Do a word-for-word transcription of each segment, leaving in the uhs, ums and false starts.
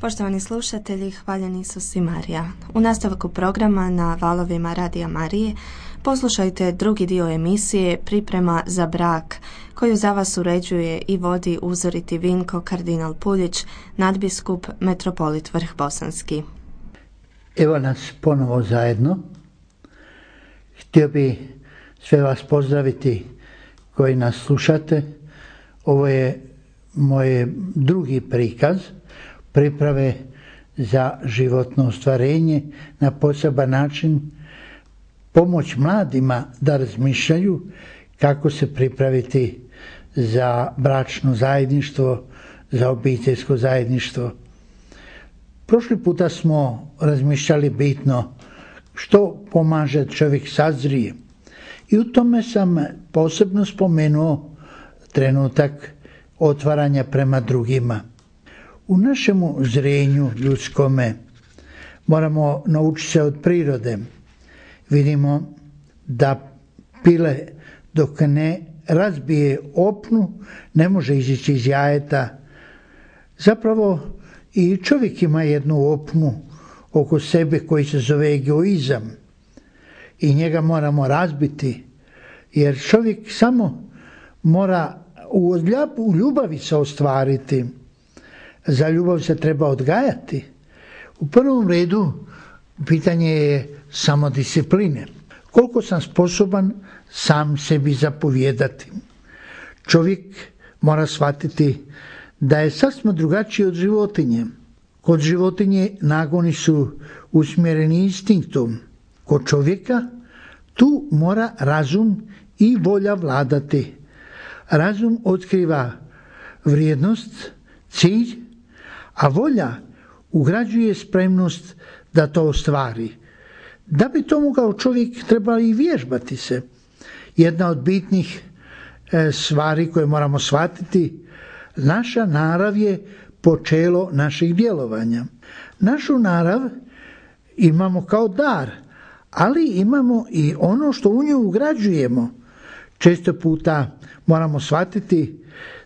Poštovani slušatelji, hvaljeni Isus i Marija. U nastavku programa na valovima Radija Marije poslušajte drugi dio emisije Priprema za brak, koju za vas uređuje i vodi uzoriti Vinko kardinal Puljić, nadbiskup metropolit Vrh-Bosanski. Evo nas ponovo zajedno. Htio bi sve vas pozdraviti koji nas slušate. Ovo je moj drugi prikaz priprave za životno ostvarenje, na poseban način pomoć mladima da razmišljaju kako se pripraviti za bračno zajedništvo, za obiteljsko zajedništvo. Prošli puta smo razmišljali bitno što pomaže čovjek sazrije. I u tome sam posebno spomenuo trenutak otvaranja prema drugima. U našemu zrenju ljudskome moramo naučiti se od prirode. Vidimo da pile dok ne razbije opnu ne može izići iz jajeta. Zapravo i čovjek ima jednu opnu oko sebe koji se zove egoizam i njega moramo razbiti, jer čovjek samo mora u ljubavi se ostvariti. Za ljubav se treba odgajati. U prvom redu pitanje je samodiscipline. Koliko sam sposoban sam sebi zapovijedati. Čovjek mora shvatiti da je sasvim drugačiji od životinje. Kod životinje nagoni su usmjereni instinktom. Kod čovjeka tu mora razum i volja vladati. Razum otkriva vrijednost, cilj, a volja ugrađuje spremnost da to ostvari. Da bi to mogao čovjek, treba i vježbati se. Jedna od bitnih e, stvari koje moramo shvatiti, naša narav je počelo naših djelovanja. Našu narav imamo kao dar, ali imamo i ono što u nju ugrađujemo. Često puta moramo shvatiti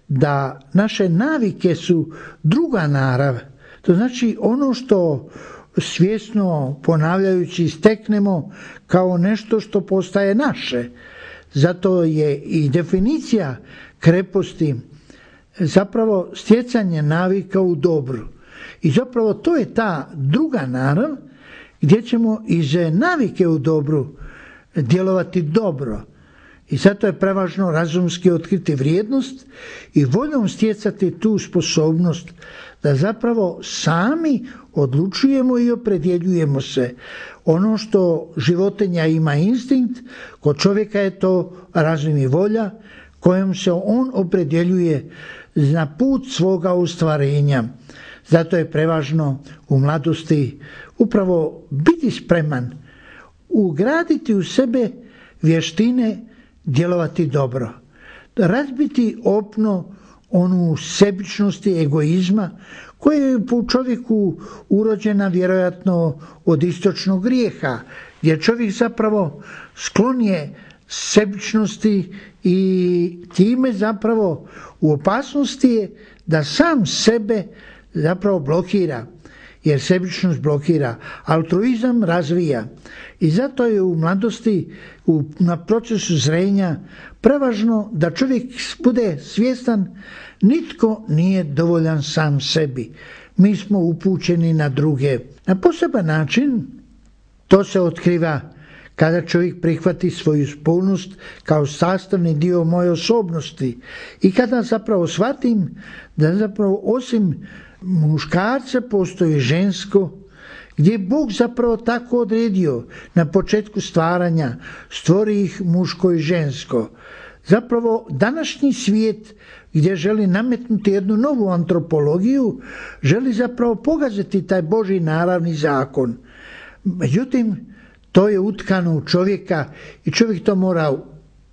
da naše navike su druga narav. To znači ono što svjesno ponavljajući steknemo kao nešto što postaje naše. Zato je i definicija kreposti zapravo stjecanje navika u dobru. I zapravo to je ta druga narav gdje ćemo iz navike u dobru djelovati dobro. I zato je prevažno razumski otkriti vrijednost i voljom stjecati tu sposobnost da zapravo sami odlučujemo i opredjeljujemo se. Ono što životinja ima instinkt, kod čovjeka je to razum i volja kojom se on opredjeljuje na put svoga ostvarenja. Zato je prevažno u mladosti upravo biti spreman, ugraditi u sebe vještine djelovati dobro, razbiti opno onu sebičnosti, egoizma koja je u čovjeku urođena vjerojatno od istočnog grijeha, gdje čovjek zapravo sklon je sebičnosti i time zapravo u opasnosti je da sam sebe zapravo blokira, jer sebičnost blokira, altruizam razvija. I zato je u mladosti, u, na procesu zrenja, prevažno da čovjek bude svjestan nitko nije dovoljan sam sebi. Mi smo upućeni na druge. Na poseban način to se otkriva kada čovjek prihvati svoju spolnost kao sastavni dio moje osobnosti i kada zapravo shvatim da zapravo osim muškarca postoji žensko, gdje je Bog zapravo tako odredio na početku stvaranja, stvori ih muško i žensko. Zapravo današnji svijet gdje želi nametnuti jednu novu antropologiju, želi zapravo pogaziti taj Božji naravni zakon. Međutim, to je utkano u čovjeka i čovjek to mora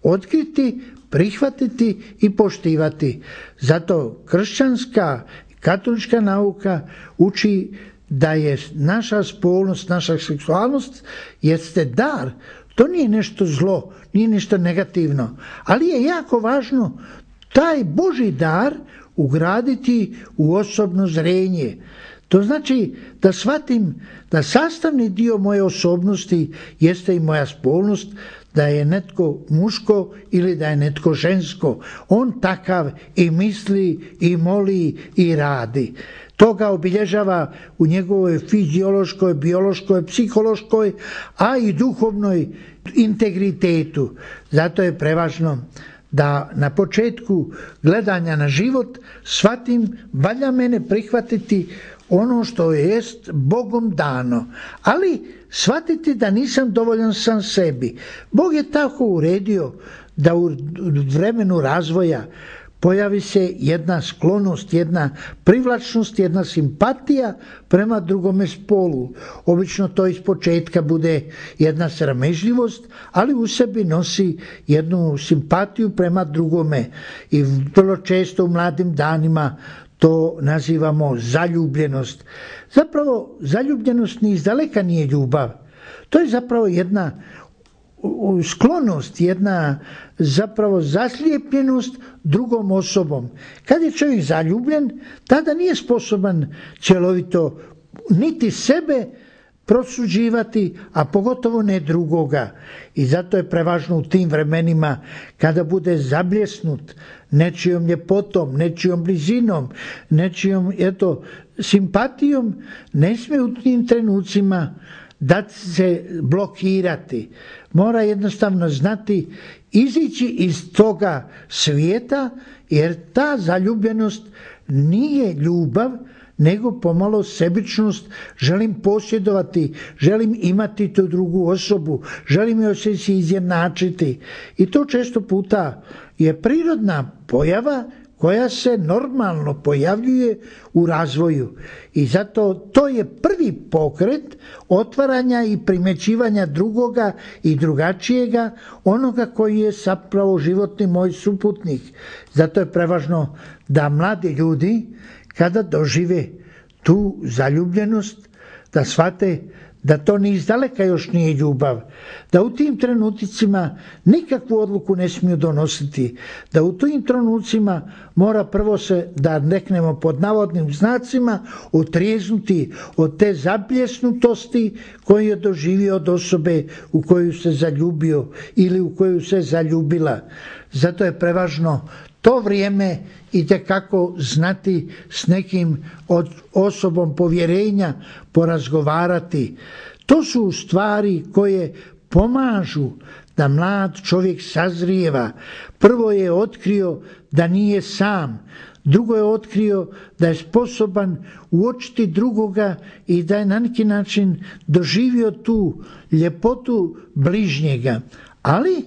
otkriti, prihvatiti i poštivati. Zato kršćanska katolička nauka uči da je naša spolnost, naša seksualnost jeste dar. To nije nešto zlo, nije nešto negativno, ali je jako važno taj Božji dar ugraditi u osobno zrenje. To znači da shvatim da sastavni dio moje osobnosti jeste i moja spolnost, da je netko muško ili da je netko žensko. On takav i misli i moli i radi. To ga obilježava u njegovoj fiziološkoj, biološkoj, psihološkoj, a i duhovnoj integritetu. Zato je prevažno da na početku gledanja na život shvatim, valja mene prihvatiti ono što jest Bogom dano, ali shvatiti da nisam dovoljan sam sebi. Bog je tako uredio da u vremenu razvoja pojavi se jedna sklonost, jedna privlačnost, jedna simpatija prema drugome spolu. Obično to iz početka bude jedna sramežljivost, ali u sebi nosi jednu simpatiju prema drugome. I vrlo često u mladim danima to nazivamo zaljubljenost. Zapravo zaljubljenost ni izdaleka nije ljubav. To je zapravo jedna sklonost, jedna zapravo zaslijepljenost drugom osobom. Kad je čovjek zaljubljen, tada nije sposoban cjelovito niti sebe prosuđivati, a pogotovo ne drugoga. I zato je prevažno u tim vremenima kada bude zabljesnut nečijom ljepotom, nečijom blizinom, nečijom eto, simpatijom, ne smije u tim trenucima da se blokirati. Mora jednostavno znati izići iz toga svijeta, jer ta zaljubljenost nije ljubav, nego pomalo sebičnost. Želim posjedovati, želim imati tu drugu osobu, želim joj se si izjednačiti. I to često puta je prirodna pojava koja se normalno pojavljuje u razvoju. I zato to je prvi pokret otvaranja i primjećivanja drugoga i drugačijega, onoga koji je zapravo životni moj suputnik. Zato je prevažno da mladi ljudi kada dožive tu zaljubljenost, da shvate da to ni izdaleka još nije ljubav, da u tim trenucima nikakvu odluku ne smiju donositi, da u tim trenucima mora prvo se, da neknemo pod navodnim znacima, otrijeznuti od te zabljesnutosti koju je doživio od osobe u koju se zaljubio ili u koju se zaljubila. Zato je prevažno to vrijeme itekako znati s nekim od osobom povjerenja porazgovarati. To su stvari koje pomažu da mlad čovjek sazrijeva. Prvo je otkrio da nije sam, drugo je otkrio da je sposoban uočiti drugoga i da je na neki način doživio tu ljepotu bližnjega. Ali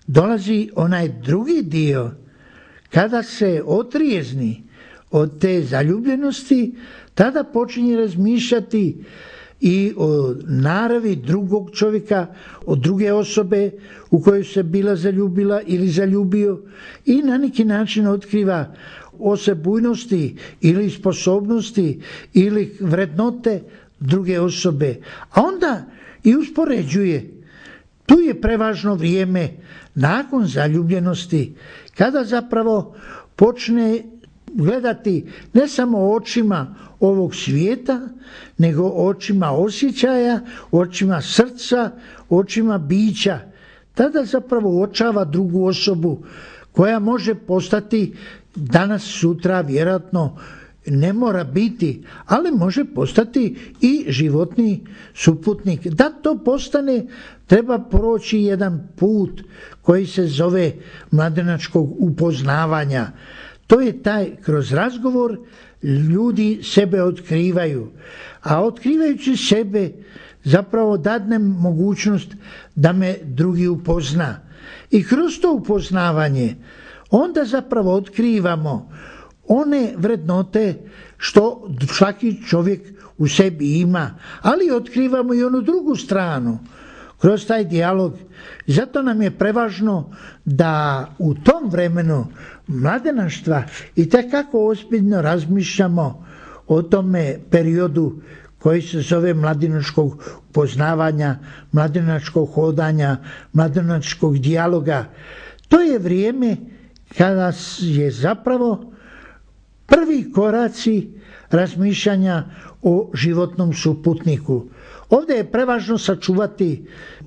dolazi onaj drugi dio, kada se otrijezni od te zaljubljenosti, tada počinje razmišljati i o naravi drugog čovjeka, od druge osobe u koju se bila zaljubila ili zaljubio, i na neki način otkriva osebujnosti ili sposobnosti ili vrednote druge osobe. A onda i uspoređuje. Tu je prevažno vrijeme nakon zaljubljenosti, kada zapravo počne gledati ne samo očima ovog svijeta, nego očima osjećaja, očima srca, očima bića. Tada zapravo uočava drugu osobu koja može postati danas, sutra, vjerojatno ne mora biti, ali može postati i životni suputnik. Da to postane, treba proći jedan put koji se zove mladenačkog upoznavanja. To je taj, kroz razgovor ljudi sebe otkrivaju, a otkrivajući sebe zapravo dadnem mogućnost da me drugi upozna. I kroz to upoznavanje onda zapravo otkrivamo one vrednote što svaki čovjek u sebi ima, ali otkrivamo i onu drugu stranu kroz taj dijalog. Zato nam je prevažno da u tom vremenu mladenaštva i tekako ozbiljno razmišljamo o tome periodu koji se zove mladenačkog poznavanja, mladenačkog hodanja, mladenačkog dijaloga. To je vrijeme kada je zapravo prvi koraci razmišljanja o životnom suputniku. Ovdje je prevažno sačuvati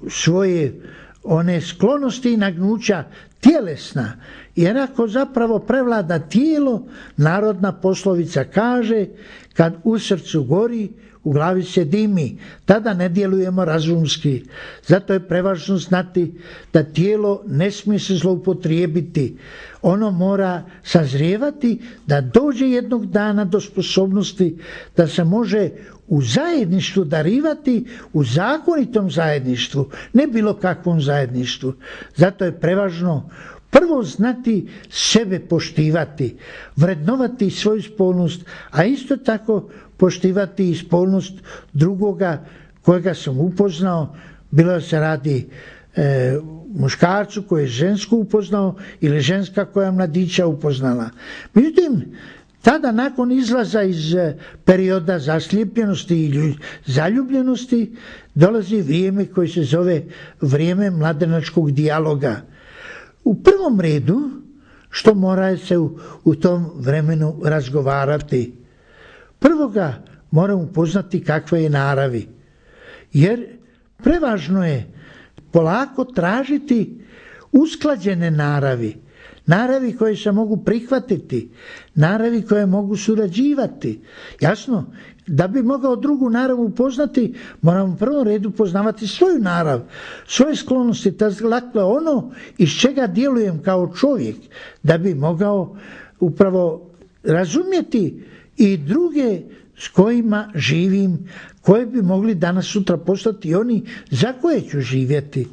svoje one sklonosti i nagnuća tjelesna, jer ako zapravo prevlada tijelo, narodna poslovica kaže, kad u srcu gori, u glavi se dimi, tada ne djelujemo razumski. Zato je prevažno znati da tijelo ne smije se zloupotrijebiti. Ono mora sazrijevati da dođe jednog dana do sposobnosti da se može u zajedništvu darivati, u zakonitom zajedništvu, ne bilo kakvom zajedništvu. Zato je prevažno prvo znati sebe poštivati, vrednovati svoju spolnost, a isto tako poštivati i spolnost drugoga kojega sam upoznao, bilo da se radi e, muškarcu koji je žensku upoznao ili ženska koja mladića upoznala. Međutim, tada nakon izlaza iz perioda zaslijepljenosti i zaljubljenosti dolazi vrijeme koje se zove vrijeme mladenačkog dijaloga. U prvom redu, što mora se u, u tom vremenu razgovarati? Prvo ga moram upoznati kakve je naravi, jer prevažno je polako tražiti usklađene naravi, naravi koje se mogu prihvatiti, naravi koje mogu surađivati. Jasno, da bi mogao drugu narav upoznati, moramo u prvom redu poznavati svoju narav, svoje sklonosti, dakle ono iz čega djelujem kao čovjek, da bi mogao upravo razumjeti i druge s kojima živim, koje bi mogli danas sutra postati oni za koje ću živjeti.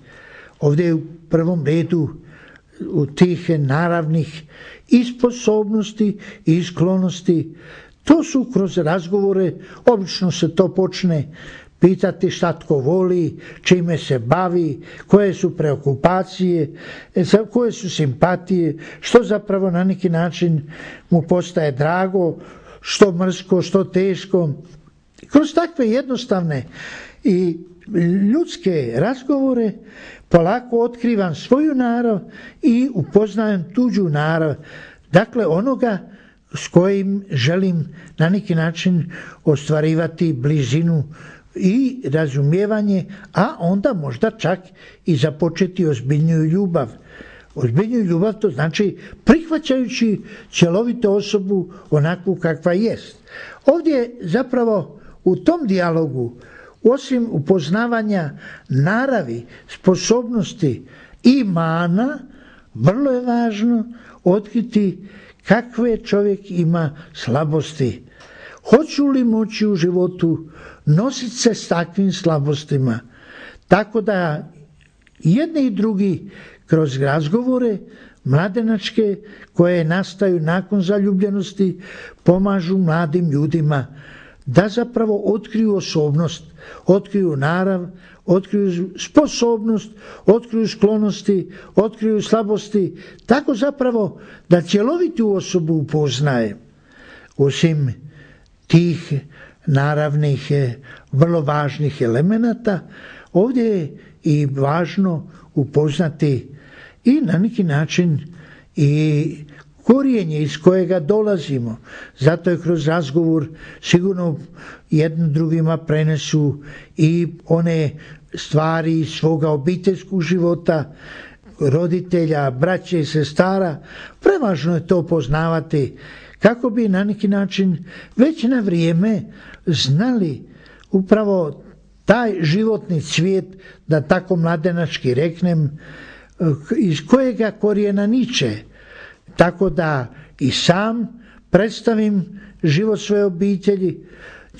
Ovdje je u prvom redu u tih naravnih i sposobnosti i sklonosti. To su kroz razgovore, obično se to počne pitati šta tko voli, čime se bavi, koje su preokupacije, koje su simpatije, što zapravo na neki način mu postaje drago, što mrsko, što teško. Kroz takve jednostavne i ljudske razgovore polako otkrivam svoju narav i upoznajem tuđu narav, dakle onoga s kojim želim na neki način ostvarivati blizinu i razumijevanje, a onda možda čak i započeti ozbiljniju ljubav. Ozbiljniju ljubav to znači prihvaćajući cjelovitu osobu onakvu kakva jest. Ovdje zapravo u tom dijalogu, osim upoznavanja naravi, sposobnosti i mana, vrlo je važno otkriti kakve čovjek ima slabosti. Hoću li moći u životu nositi se s takvim slabostima, tako da jedni i drugi kroz razgovore mladenačke koje nastaju nakon zaljubljenosti pomažu mladim ljudima da zapravo otkriju osobnost, otkriju narav, otkriju sposobnost, otkriju sklonosti, otkriju slabosti, tako zapravo da cjelovitu osobu upoznaje. Osim tih naravnih, vrlo važnih elemenata, ovdje je i važno upoznati i na neki način i korijenje iz kojega dolazimo. Zato je kroz razgovor sigurno jednim drugima prenesu i one stvari iz svoga obiteljskog života, roditelja, braće i sestara. Prevažno je to poznavati kako bi na neki način već na vrijeme znali upravo taj životni cvijet, da tako mladenački reknem, iz kojega korijena niče, tako da i sam predstavim život svoje obitelji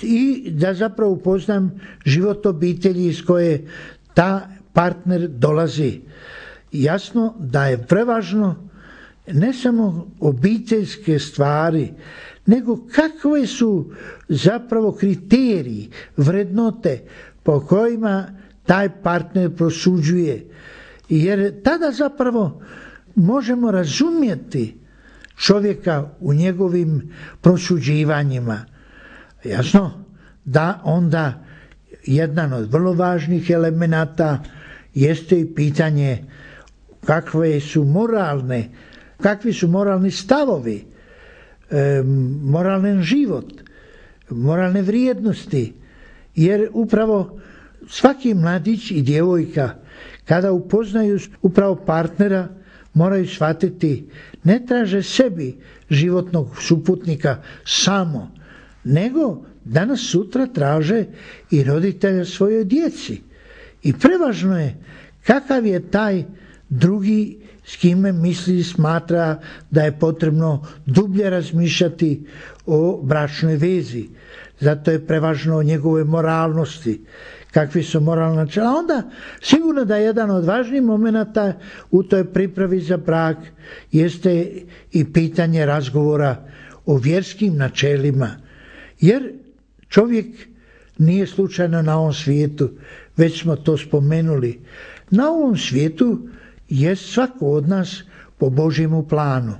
i da zapravo upoznam život obitelji iz koje ta partner dolazi. Jasno da je prevažno ne samo obiteljske stvari, nego kakve su zapravo kriteriji, vrednote po kojima taj partner prosuđuje. Jer tada zapravo možemo razumjeti čovjeka u njegovim prosuđivanjima. Jasno da onda jedan od vrlo važnih elemenata jeste i pitanje kakve su moralne, kakvi su moralni stavovi, e, moralan život. moralne vrijednosti, jer upravo svaki mladić i djevojka kada upoznaju upravo partnera moraju shvatiti, ne traže sebi životnog suputnika samo, nego danas sutra traže i roditelja svojoj djeci. I prevažno je kakav je taj drugi s kime misli i smatra da je potrebno dublje razmišljati o bračnoj vezi. Zato je prevažno o njegove moralnosti, kakvi su moralna načela. Onda sigurno da jedan od važnijih momenata u toj pripravi za brak jeste i pitanje razgovora o vjerskim načelima. Jer čovjek nije slučajno na ovom svijetu, već smo to spomenuli. Na ovom svijetu je svako od nas po Božjemu planu.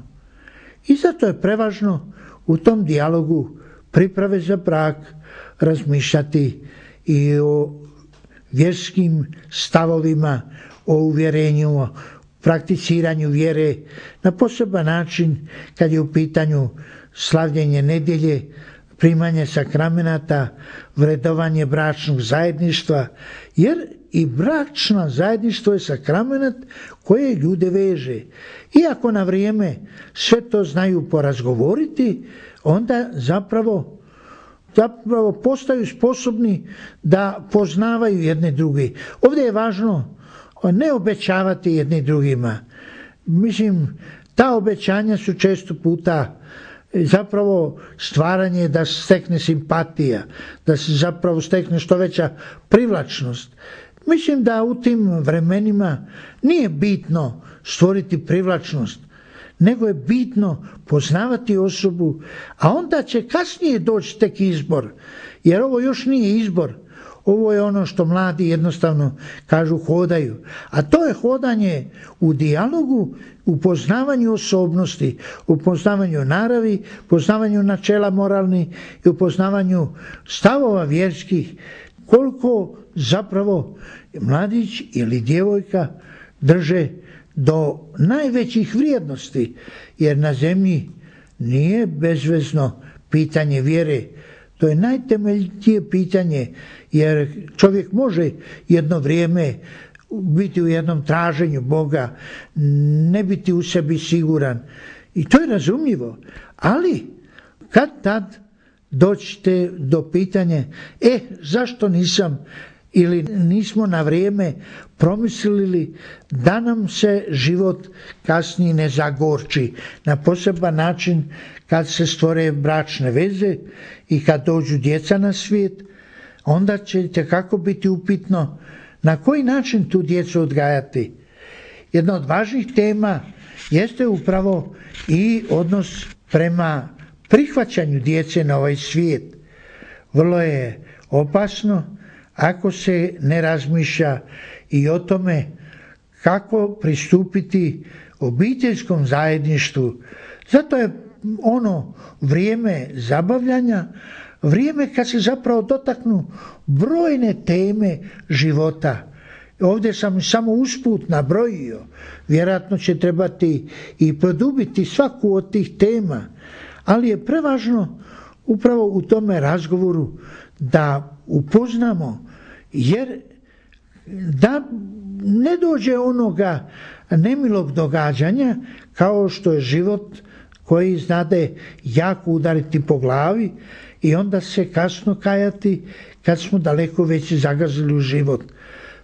I zato je prevažno u tom dijalogu priprave za brak razmišljati i o vjerskim stavovima, o uvjerenju, o prakticiranju vjere na poseban način kad je u pitanju slavljenje nedjelje, primanje sakramenata, vredovanje bračnog zajedništva, jer i bračno zajedništvo je sakramenat koje ljude veže. Iako na vrijeme sve to znaju porazgovoriti, onda zapravo, zapravo postaju sposobni da poznavaju jedne druge. Ovdje je važno ne obećavati jedni drugima. Mislim, ta obećanja su često puta zapravo stvaranje da se stekne simpatija, da se zapravo stekne što veća privlačnost. Mislim da u tim vremenima nije bitno stvoriti privlačnost, nego je bitno poznavati osobu, a onda će kasnije doći tek izbor, jer ovo još nije izbor. Ovo je ono što mladi jednostavno kažu hodaju. A to je hodanje u dijalogu, u poznavanju osobnosti, u poznavanju naravi, poznavanju načela moralnih i u poznavanju stavova vjerskih, koliko zapravo mladić ili djevojka drže do najvećih vrijednosti, jer na zemlji nije bezvezno pitanje vjere. To je najtemeljitije pitanje, jer čovjek može jedno vrijeme biti u jednom traženju Boga, ne biti u sebi siguran. I to je razumljivo. Ali kad tad doćete do pitanja, e, zašto nisam ili nismo na vrijeme promislili da nam se život kasnije ne zagorči na poseban način kad se stvore bračne veze i kad dođu djeca na svijet, onda ćete kako biti upitno na koji način tu djecu odgajati. Jedna od važnih tema jeste upravo i odnos prema prihvaćanju djece na ovaj svijet. Vrlo je opasno ako se ne razmišlja i o tome kako pristupiti obiteljskom zajedništvu. Zato je ono vrijeme zabavljanja, vrijeme kad se zapravo dotaknu brojne teme života. Ovdje sam samo usput nabrojio, vjerojatno će trebati i produbiti svaku od tih tema, ali je prevažno upravo u tome razgovoru da upoznamo, jer da ne dođe onoga nemilog događanja kao što je život koji znade jako udariti po glavi i onda se kasno kajati kad smo daleko već zagazili u život.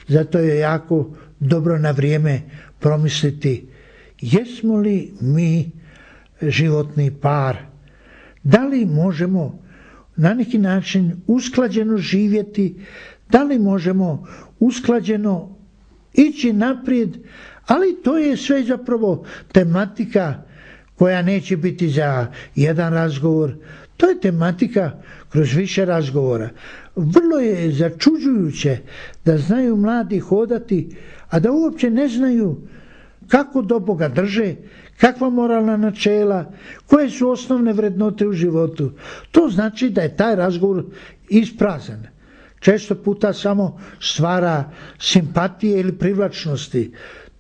Zato je jako dobro na vrijeme promisliti jesmo li mi životni par, da li možemo na neki način usklađeno živjeti, da li možemo usklađeno ići naprijed, ali to je sve zapravo tematika koja neće biti za jedan razgovor, to je tematika kroz više razgovora. Vrlo je začuđujuće da znaju mladi hodati, a da uopće ne znaju kako do Boga drže, kakva moralna načela, koje su osnovne vrednote u životu. To znači da je taj razgovor isprazan. Često puta samo stvara simpatije ili privlačnosti.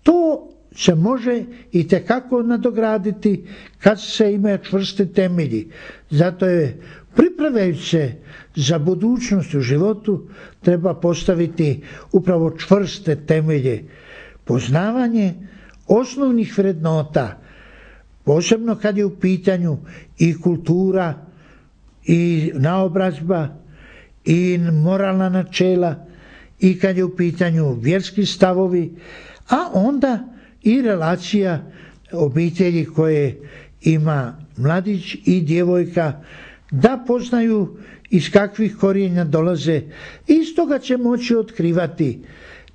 To se može itekako nadograditi kad se imaju čvrste temelji. Zato je Pripremajući se za budućnost u životu treba postaviti upravo čvrste temelje, poznavanje osnovnih vrednota, posebno kad je u pitanju i kultura i naobrazba i moralna načela i kad je u pitanju vjerski stavovi, a onda i relacija obitelji koje ima mladić i djevojka, da poznaju iz kakvih korijenja dolaze i iz toga će moći otkrivati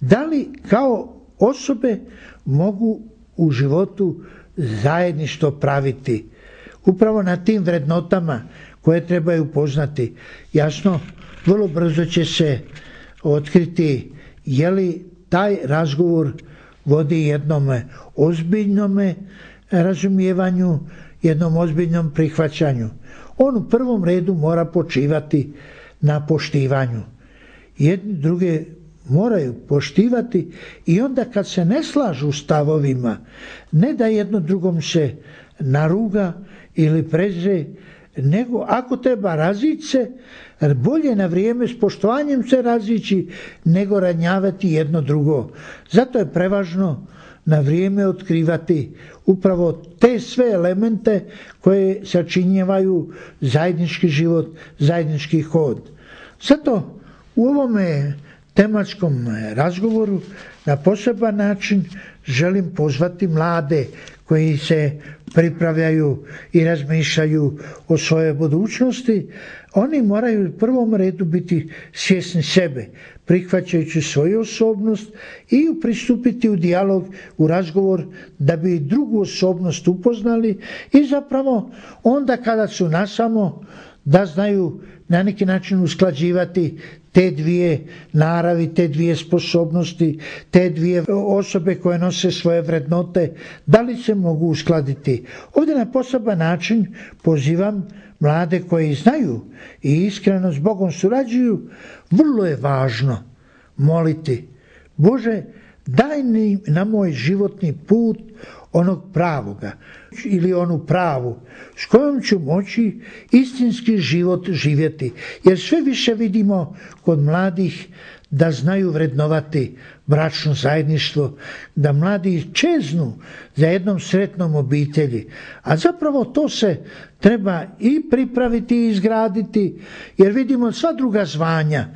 da li kao osobe mogu u životu zajedništvo praviti. Upravo na tim vrednotama koje trebaju poznati. Jasno, vrlo brzo će se otkriti je li taj razgovor vodi jednom ozbiljnom razumijevanju, jednom ozbiljnom prihvaćanju. On u prvom redu mora počivati na poštivanju. Jedni druge moraju poštivati i onda kad se ne slažu stavovima, ne da jedno drugom se naruga ili prezre, nego ako treba razići se, bolje na vrijeme s poštovanjem se razići nego ranjavati jedno drugo. Zato je prevažno na vrijeme otkrivati upravo te sve elemente koje sačinjavaju zajednički život, zajednički hod. Zato u ovome tematskom razgovoru na poseban način želim pozvati mlade koji se pripravljaju i razmišljaju o svojoj budućnosti. Oni moraju u prvom redu biti svjesni sebe, prihvaćajući svoju osobnost i pristupiti u dijalog, u razgovor da bi drugu osobnost upoznali i zapravo onda kada su nasamo da znaju na neki način usklađivati te dvije naravi, te dvije sposobnosti, te dvije osobe koje nose svoje vrednote, da li se mogu uskladiti. Ovdje na poseban način pozivam mlade koji znaju i iskreno s Bogom surađuju, vrlo je važno moliti: Bože, daj mi na moj životni put onog pravoga ili onu pravu s kojom ću moći istinski život živjeti. Jer sve više vidimo kod mladih da znaju vrednovati bračno zajedništvo, da mladi čeznu za jednom sretnom obitelji. A zapravo to se treba i pripraviti i izgraditi, jer vidimo sva druga zvanja.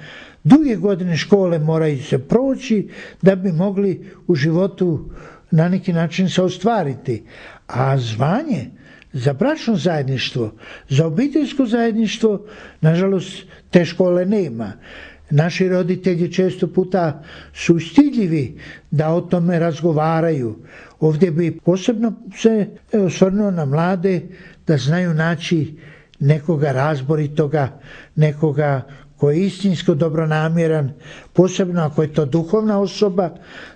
Duge godine škole moraju se proći da bi mogli u životu na neki način se ostvariti. A zvanje za bračno zajedništvo, za obiteljsko zajedništvo, nažalost, te škole nema. Naši roditelji često puta su stidljivi da o tome razgovaraju. Ovdje bi posebno se osvrnuo na mlade da znaju naći nekoga razboritoga, nekoga koji je istinsko dobronamjeran, posebno ako je to duhovna osoba,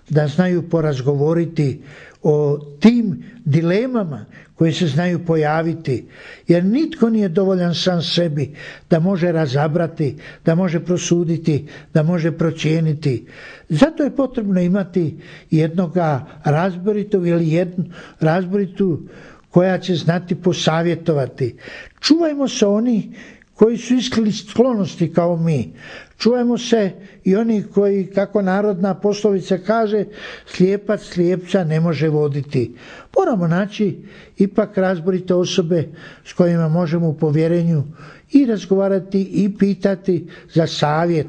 da znaju porazgovoriti o tim dilemama koje se znaju pojaviti, jer nitko nije dovoljan sam sebi da može razabrati, da može prosuditi, da može procijeniti. Zato je potrebno imati jednoga razboritog ili jednu razboritu koja će znati posavjetovati. Čuvajmo se oni koji su iskrili sklonosti kao mi. Čuvajmo se i oni koji, kako narodna poslovica kaže, slijepac slijepca ne može voditi. Moramo naći ipak razborite osobe s kojima možemo u povjerenju i razgovarati i pitati za savjet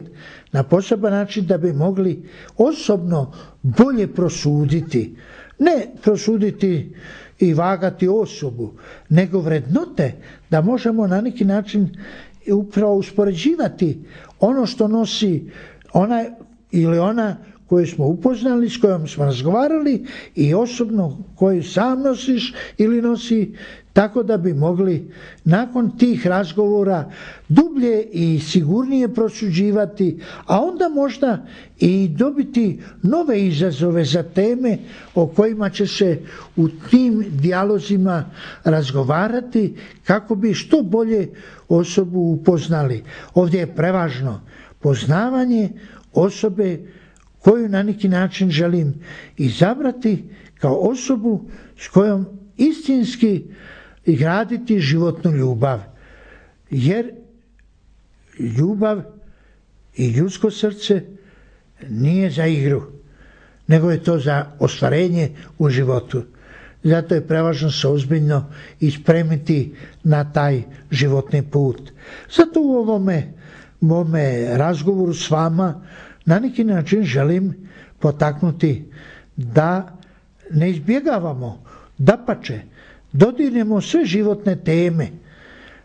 na poseban način da bi mogli osobno bolje prosuditi. Ne prosuditi i vagati osobu, nego vrednote da možemo na neki način upravo uspoređivati ono što nosi ona ili ona koju smo upoznali, s kojom smo razgovarali i osobno koju sam nosiš ili nosi, tako da bi mogli nakon tih razgovora dublje i sigurnije prosuđivati, a onda možda i dobiti nove izazove za teme o kojima će se u tim dijalozima razgovarati kako bi što bolje osobu upoznali. Ovdje je prevažno poznavanje osobe koju na neki način želim izabrati kao osobu s kojom istinski graditi životnu ljubav. Jer ljubav i ljudsko srce nije za igru, nego je to za ostvarenje u životu. Zato je prevažno se ozbiljno i spremiti na taj životni put. Zato u ovome mome razgovoru s vama na neki način želim potaknuti da ne izbjegavamo, dapače, dodirnemo sve životne teme,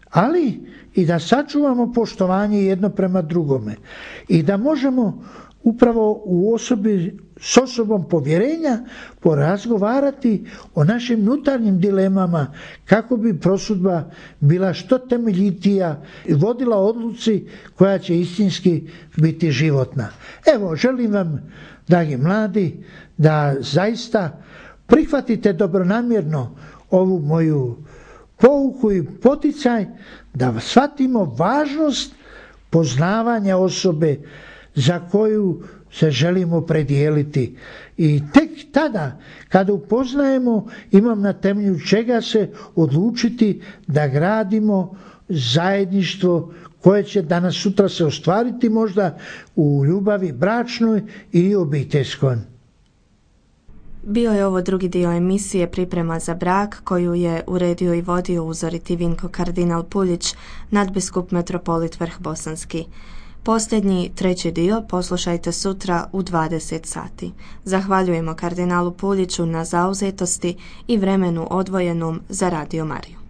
ali i da sačuvamo poštovanje jedno prema drugome i da možemo upravo u osobi, s osobom povjerenja porazgovarati o našim unutarnjim dilemama kako bi prosudba bila što temeljitija i vodila odluci koja će istinski biti životna. Evo, želim vam, dragi mladi, da zaista prihvatite dobronamjerno ovu moju pouku i poticaj da shvatimo važnost poznavanja osobe za koju se želimo predijeliti. I tek tada, kada upoznajemo, imam na temelju čega se odlučiti da gradimo zajedništvo koje će danas sutra se ostvariti možda u ljubavi bračnoj i obiteljskoj. Bio je ovo drugi dio emisije Priprema za brak koju je uredio i vodio uzoriti Vinko kardinal Puljić, nadbiskup metropolit Vrhbosanski. Posljednji, treći dio poslušajte sutra u dvadeset sati. Zahvaljujemo kardinalu Puljiću na zauzetosti i vremenu odvojenom za Radio Mariju.